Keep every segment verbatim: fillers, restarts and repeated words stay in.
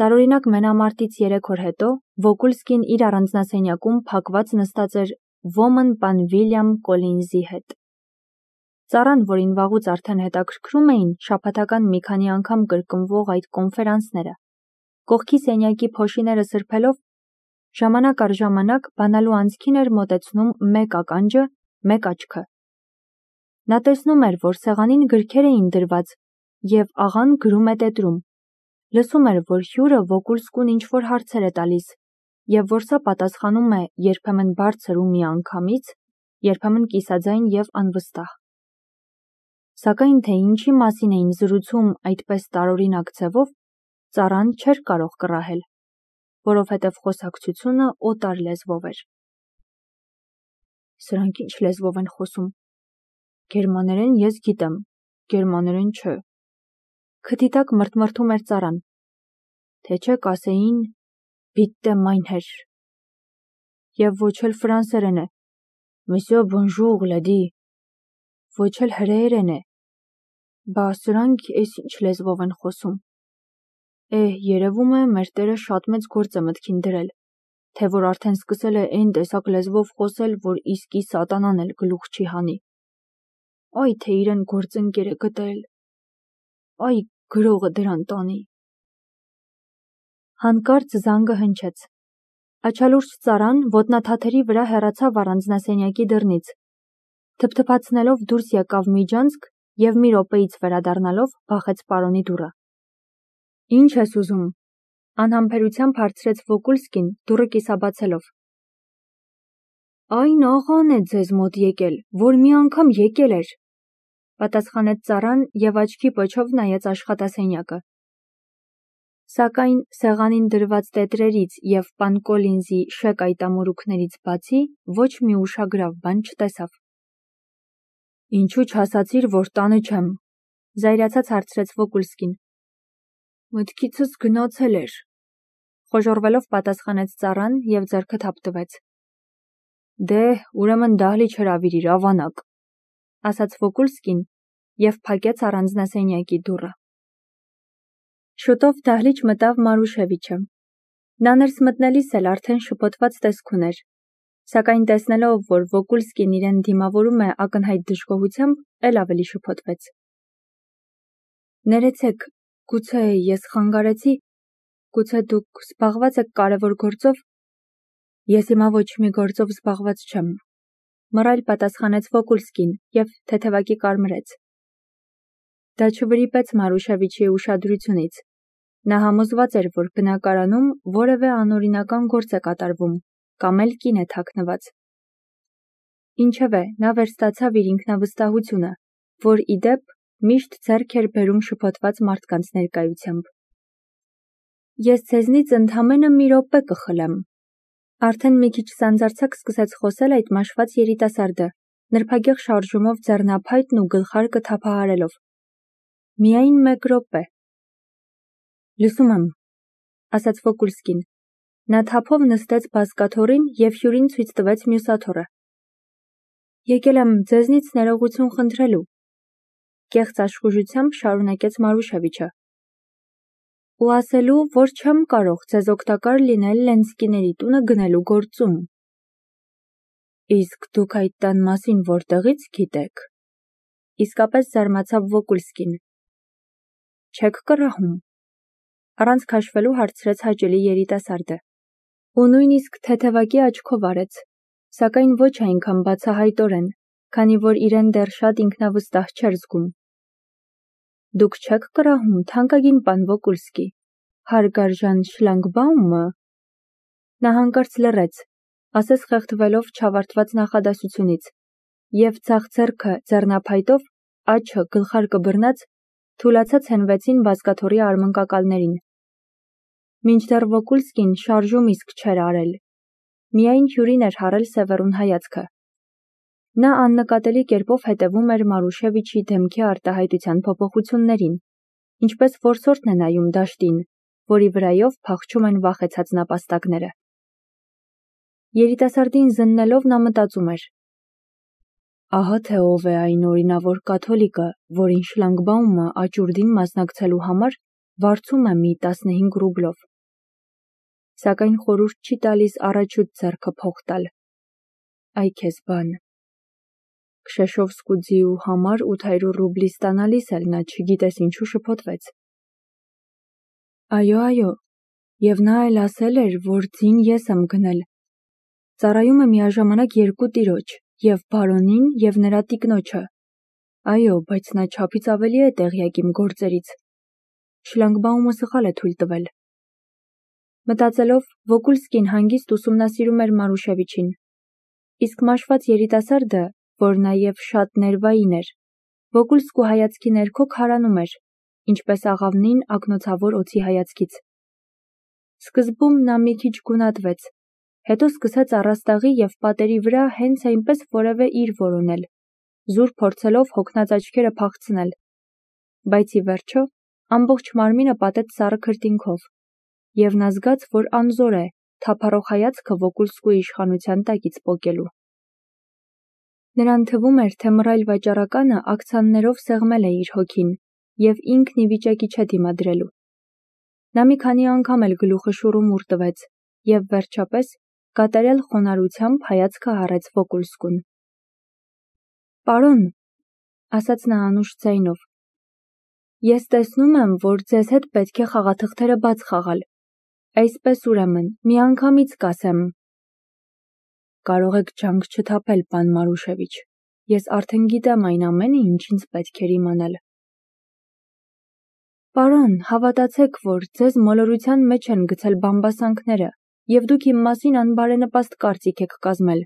Տարօրինակ մենամարտից երեք օր հետո Վոկուլսկին իր առանձնասենյակում փակված նստած էր ոմն պան Վիլյամ Կոլինզի հետ։ Ծառան, որին վաղուց արդեն հետաքրքրում էին շաբաթական մի քանի անգամ կրկնվող այդ կոնֆերանսները, կողքի սենյակի փոշիները սրբելով, ժամանակ առ ժամանակ բանալու անցքին էր մոտեցնում մեկ ականջը, մեկ աչքը։ Նա տեսնում էր, որ սեղանին գրքեր էին դրված, և աղան գրում է տետրում։ Լսում էր, որ հյուրը Վոկուլսկուն ինչ-որ հարցեր է տալիս, և որ սա պատասխանում է երբեմն բարձր ու միանգամից, երբեմն կիսաձայն և անվստահ։ Սակայն թե ինչի մասին էին զրուցում այդպես տարօրինակ ձևով, ծառան չէր կարող կռահել, որովհետև խոսակցությունը օտար լեզվով էր։ Սրանք ինչ լեզվով են խոսում։ Գերմաներեն ես գիտեմ, գերմաներեն չէ։ Քթի տակ մրթմրթում էր ծառան, թե չէ կասեին «Bitte mein Herr», և ոչ էլ ֆրանսերեն է, «Monsieur bonjour, lady», ոչ էլ հրեերեն է, բա սրանք էս ինչ լեզվով են խոսում։ Էհ, երևում է, մեր տերը շատ մեծ գործ է մտքին դրել, թե որ արդեն սկսել է էն տեսակ լեզվով խոսել, որ իսկի սատանան էլ գլուխ չի հանի։ Այ թե իրեն գործընկեր է գտել, այ գրողը դրան տանի։ Հանկարծ զանգը հնչեց։ Աչալուրջ ծառան ոտնաթաթերի վրա հեռացավ առանձնասենյակի դռնից, թփթփացնելով դուրս եկավ միջանցք և մի րոպեից վերադառնալով բախեց պարոնի դուռը։ Ինչ ես ուզում, անհամբերությամբ հարցրեց Վոկուլսկին դուռը կիսաբացելով։ Այն աղան է ձեզ մոտ եկել, որ մի անգամ եկել էր, պատասխանեց ծառան և աչքի պոչով նայեց աշխատասենյակը։ Սակայն սեղանին դրված տետրերից և պան Կոլինզի շեկ այտամորուքներից բացի ոչ մի ուշագրավ բան չտեսավ։ Ինչու չասացիր, որ տանը չեմ, զայրացած հարցրեց Վոկուլսկին։ Մտքիցս գնացել էր, խոժոռվելով պատասխանեց ծառան և ձեռքը թափտվեց։ Դե, ուրեմն դահլիճ հրավիրիր, ավանակ, ասաց Վոկուլսկին և փակեց առանձնասենյակի դուռը։ Շուտով դահլիճ մտավ Մարուշևիչը։ Նա ներս մտնելիս էլ արդեն շփոթված տեսք ուներ, սակայն տեսնելով, որ Վոկուլսկին իրեն դիմավորում է ակնհայտ դժգոհությամբ, էլ ավելի շփոթվեց։ Ներեցեք, գուցե ես խանգարեցի, գուցե դուք զբաղված եք կարևոր գործով։ Ես հիմա ոչ մի գործով զբաղված չեմ, մռայլ պատասխանեց Վոկուլսկին և թեթևակի կարմրեց։ Դա չվրիպեց Մարուշևիչի ուշադրությունից։ Նա համոզված էր, որ բնակարանում որևէ անօրինական գործ է կատարվում, կամ էլ կին է թաքնված։ Ինչևէ, նա վերստացավ իր ինքնավստահությունը, որ ի դեպ միշտ ձեռք էր բերում շփոթված մարդկանց ներկայությամբ։ Ես ձեզնից ընդամենը մի րոպե կխլեմ։ Արդեն մի քիչ սանձարձակ սկսեց խոսել այդ մաշված երիտասարդը, նրբագեղ շարժումով ձեռնափայտն ու գլխարկը թափահարելով։ Միայն մեկ րոպե։ Լսում եմ, ասաց Վոկուլսկին։ Նա թափով նստեց բազկաթոռին և հյուրին ցույց տվեց մյուս աթոռը։ Եկել եմ ձեզնից ներողություն խնդրելու, կեղծ աշխուժությամբ շարունակեց Մարուշևիչը։ Ու ասելու, որ չեմ կարող ձեզ օգտակար լինել Լենսկիների տունը գնելու գործում։ Իսկ դուք այդ տան մասին որտեղից գիտեք։ Իսկապես զարմացավ Վոկուլսկին։ Չեք կռահում, առանց քաշվելու հարցրեց հաճելի երիտասարդը։ Ու նույնիսկ թեթևակի աչքով արեց, սակայն ոչ այնքան բացահայտորեն, քանի որ իրեն դեռ շատ ինքնավստահ չէր զգում։ Դուք չեք կռահում, թանկագին պան Վոկուլսկի, հարգարժան Շլանգբաումը։ Նա հանկարծ լռեց, ասես խեղդվելով չավարտված նախադասությունից, և ձախ ձեռքը ձեռնափայտով, աչքը գլխարկը բռնած, թուլացած հենվեցին բազկաթոռի արմնկակալներին։ Մինչդեռ Վոկուլսկին շարժում իսկ չէր արել, միայն հյուրին էր հառել սևեռուն հայացքը։ Նա աննկատելի կերպով հետևում էր Մարուշևիչի դեմքի արտահայտության փոփոխություններին, ինչպես որսորդն է նայում դաշտին, որի վրայով փախչում են վախեցած նապաստակները։ Երիտասարդին զննելով նա մտածում էր. ահա թե ով է այն օրինավոր կաթոլիկը, որին Շլանգբաումը աճուրդին մասնակցելու համար վարձում է մի տասնհինգ ռուբլով։ Սակայն խորհուրդ չի տալիս առաջուց ձեռքը փող տալ։ Այ քեզ բան։ Քշեշովսկու ձիու համար ութ հարյուր ռուբլի ստանալիս էլ նա չգիտես ինչու շփոթվեց։ Այո, այո, և նա էլ ասել էր, որ ձին ես եմ գնել։ Ծառայում է միաժամանակ երկու տիրոջ, և բարոնին, և նրա տիկնոջը։ Այո, բայց նա չափից ավելի է տեղյակ իմ գործերից։ Շլագբաումը սխալ է թույլ տվել։ Մտածելով, Վոկուլսկին հանգիստ ուսումնասիրում էր Մարուշևիչին։ Իսկ մաշված երիտասարդը, որ նաև շատ ներվային էր, Վոկուլսկու հայացքի ներքո քարանում էր, ինչպես աղավնին ակնոցավոր օձի հայացքից։ Սկզբում նա մի քիչ գունատվեց, հետո սկսեց առաստաղի և պատերի վրա հենց այնպես որևէ իր որոնել, զուր փորձելով հոգնած աչքերը փախցնել, բայց ի վերջո ամբողջ մարմինը պատեց սառը քրտինքով, և նա զգաց, որ անզոր է թափառող հայացքը Վոկուլսկուի իշխանության տակից պոկելու։ Նրան թվում էր, թե մռայլ վաճառականը ակցաններով սեղմել է իր հոգին և ինքն ի վիճակի չէ դիմադրելու։ Նա մի քանի անգամ էլ գլուխը շուռումուռ տվեց և վերջապես կատարյալ խոնարհությամբ հայացքը հառեց Վոկուլսկուն։ Պարոն, ասաց նա անուշ ձայնով, ես տեսնում եմ, որ ձեզ հետ պետք է խաղաթղթերը բաց խաղալ, այսպես ուրեմն, միանգամից կասեմ։ Կարող եք ջանք չթափել, պան Մարուշևիչ, ես արդեն գիտեմ այն ամենը, ինչ ինձ պետք էր իմանալ։ Պարոն, հավատացեք, որ ձեզ մոլորության մեջ են գցել բամբասանքները, և դուք իմ մասին անբարենպաստ կարծիք եք կազմել։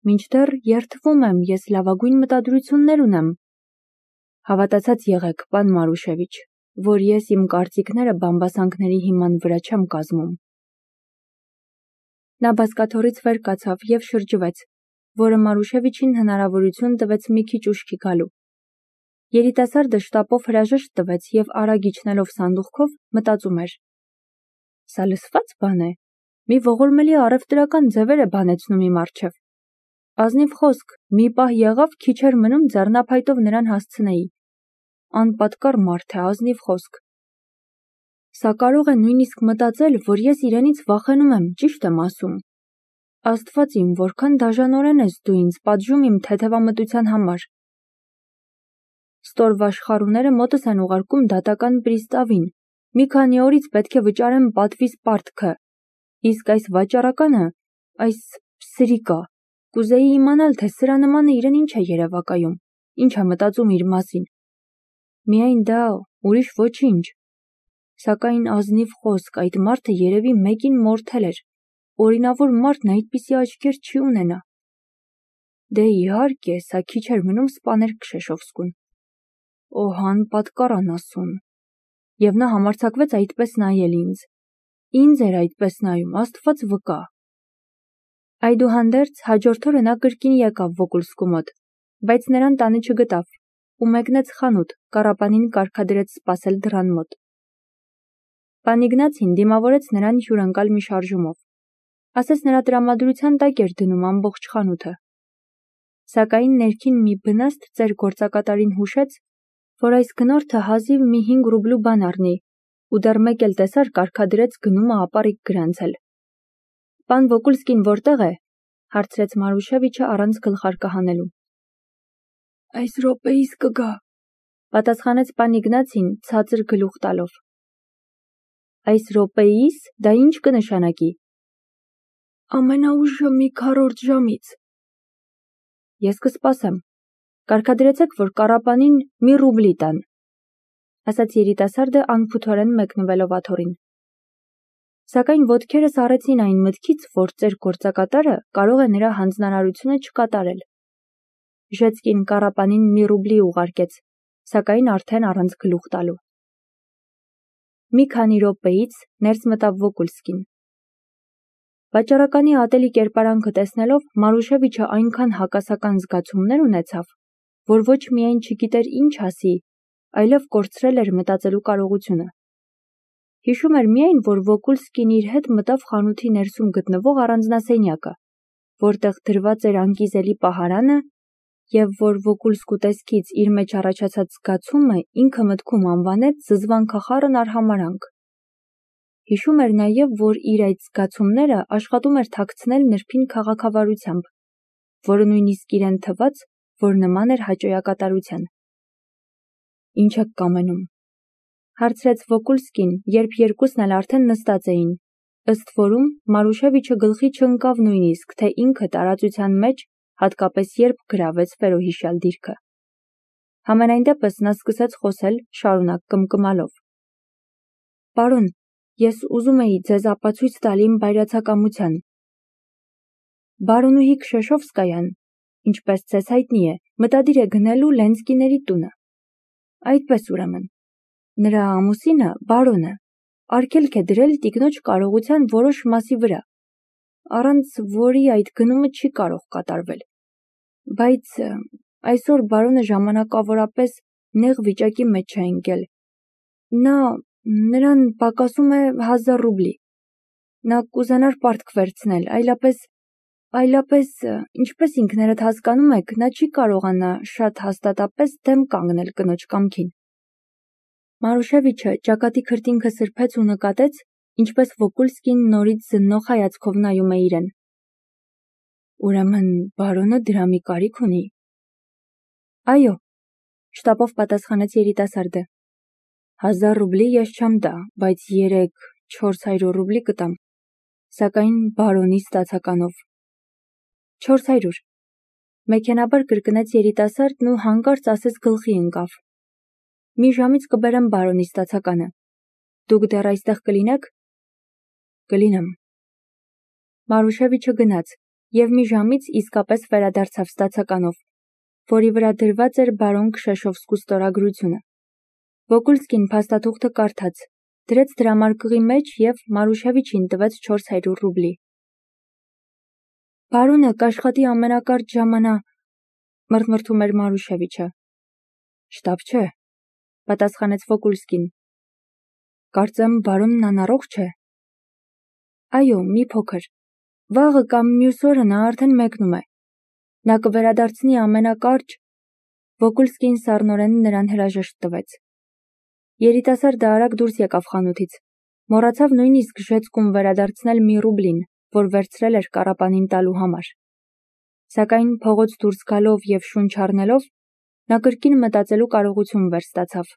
Մինչդեռ երդվում եմ, ես լավագույն մտադրություններ ունեմ։ Հավատացած եղեք, պան Մարուշևիչ, որ ես իմ կարծիքները բամբասանքների հիման վրա չեմ կազմում։ Նա բազկաթոռից վեր կացավ և շրջվեց, որը Մարուշևիչին հնարավորություն տվեց մի քիչ ուշքի գալու։ Երիտասարդը շտապով հրաժեշտ տվեց և արագ իջնելով սանդուղքով մտածում էր. Սա լսվա՞ծ բան է, մի ողորմելի առևտրական ձևեր է բանեցնում իմ առջև։ Ազնիվ խոսք, մի պահ եղավ, քիչ էր մնում ձեռնափայտով նրան հասցնեի։ Անպատկառ մարդ է, ազնիվ խոսք։ Սա կարող է նույնիսկ մտածել, որ ես իրենից վախենում եմ, ճիշտ եմ ասում։ Աստված իմ, որքան դաժանորեն ես դու ինձ պատժում իմ թեթևամտության համար։ Ստորվաշխառուները մոտս են ուղարկում դատական պրիստավին, մի քանի օրից պետք է վճարեմ պատվիս պարտքը, իսկ այս վաճառականը, այս սրիկա, կուզեի իմանալ, թե սրա նմանը իրեն ինչ է երևակայում, ինչ է մտածում իր մասին։ Միայն դա, ուրիշ ոչինչ։ Սակայն ազնիվ խոսք, այդ մարդը երևի մեկին մորթել էր, օրինավոր մարդն այդպիսի աչքեր չի ունենա։ Դե իհարկե, սա քիչ էր մնում սպաներ Քշեշովսկուն։ Օհ, անպատկառ անասուն։ Եվ նա համարձակվեց այդպես նայել ինձ։ Ինձ էր այդպես նայում, Աստված վկա։ Այդուհանդերձ հաջորդ օրը նա կրկին եկավ Վոկուլսկու մոտ, բայց նրան տանը չգտավ ու մեկնեց խանութ, կառապանին կարգադրեց սպասել դռան մոտ։ Պան Իգնացին դիմավորեց նրան հյուրընկալ մի շարժումով, ասես նրա տրամադրության տակ էր դնում ամբողջ խանութը։ Սակայն ներքին մի բնաստ ծեր գործակատարին հուշեց, որ այս գնորդը հազիվ մի հինգ ռուբլու բան առնի, ու դեռ մեկ էլ տեսար կարգադրեց գնումը ապառիկ գրանցել։ Պան Վոկուլսկին որտեղ է, հարցրեց Մարուշևիչը առանց գլխարկը հանելու։ Այս րոպեիս կգա, պատասխանեց պան Իգնացին ցածր գլուխ տալով։ Այս րոպեիս, դա ինչ կնշանակի։ Ամենաուշը մի քառորդ ժամից։ Ես կսպասեմ։ Կարգադրեցեք, որ կառապանին մի ռուբլի տան, ասաց երիտասարդը անփութորեն մեկնվելով աթոռին։ Սակայն ոտքերս առեցին այն մտքից, որ ծեր գործակատարը կարող է նրա հանձնարարությունը չկատարել։ Ժեցկին կառապանին մի ռուբլի ուղարկեց, սակայն արդեն առանց գլուխ տալու։ Մի քանի րոպեից ներս մտավ Վոկուլսկին։ Վաճառականի ատելի կերպարանքը տեսնելով Մարուշևիչը այնքան հակասական զգացումներ ունեցավ, որ ոչ միայն չգիտեր ինչ ասի, այլև կորցրել էր մտածելու կարողությունը։ Հիշում էր միայն, որ Վոկուլսկին իր հետ մտավ խանութի ներսում գտնվող առանձնասենյակը, որտեղ դրված էր անկիզելի պահարանը եւ որ Վոկուլսկու տեսքից իր մեջ առաջացած զգացումը ինքը մտքում անվանեց զզվանքախառն արհամարանք։ Հիշում էր նաեւ, որ իր այդ զգացումները աշխատում էր թաքցնել նրբին քաղաքավարությամբ, որը նույնիսկ իրեն թվաց, որ նման էր հաճոյակատարության։ Ինչ եք կամենում, հարցրեց Վոկուլսկին, երբ երկուսն էլ արդեն նստած էին, ըստ որում Մարուշևիչը գլխի չընկավ նույնիսկ, թե ինքը տարածության մեջ, հատկապես երբ գրավեց վերոհիշյալ դիրքը։ Համենայն դեպս նա սկսեց խոսել, շարունակ կմկմալով. Պարոն, ես ուզում էի ձեզ ապացույց տալ իմ բայրացակամության։ Բարոնուհի Քշեշովսկայան, ինչպես ձեզ հայտնի է, մտադիր է գնելու Լենսկիների տունը։ Այդպես ուրեմն, նրա ամուսինը, բարոնը, արգելք է դրել տիկնոջ կարողության որոշ մասի վրա, առանց որի այդ գնումը չի կարող կատարվել։ Բայց այսօր բարոնը ժամանակավորապես նեղ վիճակի մեջ է ընկել։ Նա նրան պակասում է հազար ռուբլի։ Նա կուզենար պարտք վերցնել, այլապես, այլապես, ինչպես ինքներդ հասկանում եք, նա չի կարողանա շատ հաստատապես դեմ կանգնել կնոջ կամքին։ Մարուշևիչը ճակատի քրտինքը սրբեց ու նկատեց, ինչպես Վոկուլսկին նորից զննող հայացքով նայում է իրեն։ Ուրեմն բարոնը դրա մի կարիք ունի։ Այո, շտապով պատասխանեց երիտասարդը։ Հազար ռուբլի ես չեմ տա, բայց երեք, չորս հարյուր ռուբլի կտամ, սակայն բարոնի ստացականով։ Չորս հարյուր։ Մեքենաբար կրկնեց երիտասարդն ու հանկարծ ասես գլխի ընկավ։ Մի ժամից կբերեմ բարոնի ստացականը։ Դուք դեռ այստեղ կլինեք։ Կլինեմ։ Մարուշևիչը գնաց եւ մի ժամից իսկապես վերադարձավ ստացականով, որի վրա դրված էր բարոն Քշեշովսկու ստորագրությունը։ Վոկուլսկին փաստաթուղթը կարդաց, դրեց դրամարկղի մեջ եւ Մարուշևիչին տվեց չորս հարյուր ռուբլի։ Բարոնը կաշխատի ամենակարճ ժամանա, մրթմրթում էր Մարուշևիչը։ Շտապ չէ, պատասխանեց Վոկուլսկին։ Կարծեմ բարոնն անառողջ է։ Այո, մի փոքր։ Վաղը կամ մյուս օրը նա արդեն մեկնում է։ Նա կվերադարձնի ամենակարճ։ Վոկուլսկին սառնորեն նրան հրաժեշտ տվեց։ Երիտասարդը արագ դուրս եկավ խանութից։ Մոռացավ նույնիսկ ժեցկում վերադարձնել մի ռուբլին, որ վերցրել էր կառապանին տալու համար։ Սակայն փողոց դուրս գալով եւ շունչ առնելով, նա կրկին մտածելու կարողություն վերստացավ։